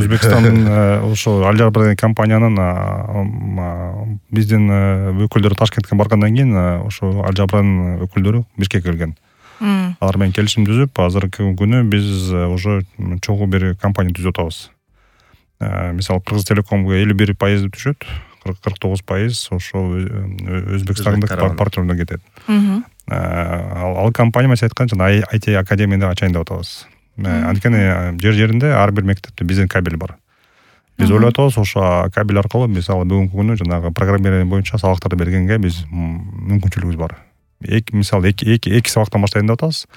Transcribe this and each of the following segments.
Өзбекстандын ошо Al Jaber деген компаниянын биздин өкүлдөрү Ташкентке баргандан кийин ошо Al Jaber'дын өкүлдөрү Бишкекке келген. Алар менен келишим түзүп, азыркы күнү биз уже чогуу бир компания түзүп атабыз. Мисалы Кыргыз Телекомго 51% түшөт, 49% ошо Өзбекстандык партнерлерге кетет. Ал компания мен айткан жана IT академияны ачайын деп атабыз. Анткени жер-жеринде ар бир мектепте биздин кабель бар. Биз ойлоп атабыз, ошо кабель аркылуу мисалы бүгүнкү күнү жанагы программирование боюнча сабактарды бергенге биз мүмкүнчүлүгүбүз бар. Мисалы эки сабактан баштайын деп атабыз.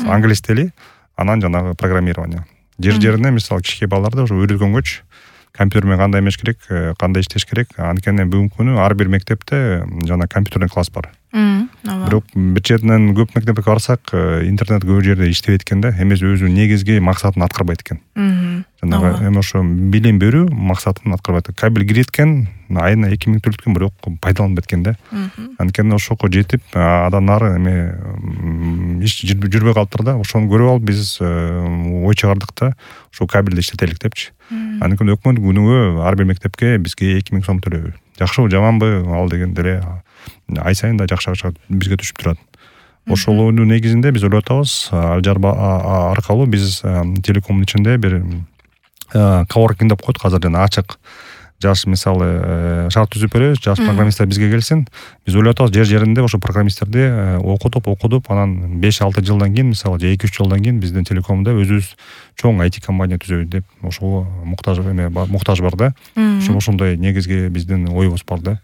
Англис тили, анан жанагы программирование. Жер-жерине мисалы кичинекей балдарды уже үйрөткөнгөчү компьютер менен кандай эмеш керек, кандай иштеш керек. Анткени бүгүнкү күнү ар бир мектепте жана компьютерный класс бар. Бирок бир четинен көп мектепке барсак, интернет көп жерде иштебейт экен да, эмес өзүнүн негизги максатын аткарбайт экен. Жанагы эми ошо билим берүү максатын аткарбайт. Кабель кирет экен, айына 2000 төлөйт экен, бирок пайдаланбайт экен да. Анткени ошого жетип, адан нары эме иш жүрбөй калыптыр да. Ошону көрүп алып биз ой чыгардык да, ошо кабелди иштетелик депчи. Анткени өкмөт күнүгө ар бир мектепке бизге 2000 сом төлөйбү. Жакшыбы, жаманбы, ал деген деле ай сайын да жакшы акча бизге түшүп турат. Ошолордун негизинде биз ойлоп атабыз, Al Jaber аркылуу биз телекомдун ичинде бир коворкинг деп коет, азыр жана ачык. Жаш мисалы шарт түзүп беребиз, жаш программисттер бизге келсин. Биз ойлоп атабыз, жер-жеринде ошо программисттерди окутуп, анан 5-6 жылдан кийин, мисалы 2-3 жылдан кийин биздин телекомдо өзүбүз чоң IT компания түзөбүз деп ошого муктаж бар да. Ошондой негизги биздин оюбуз бар да.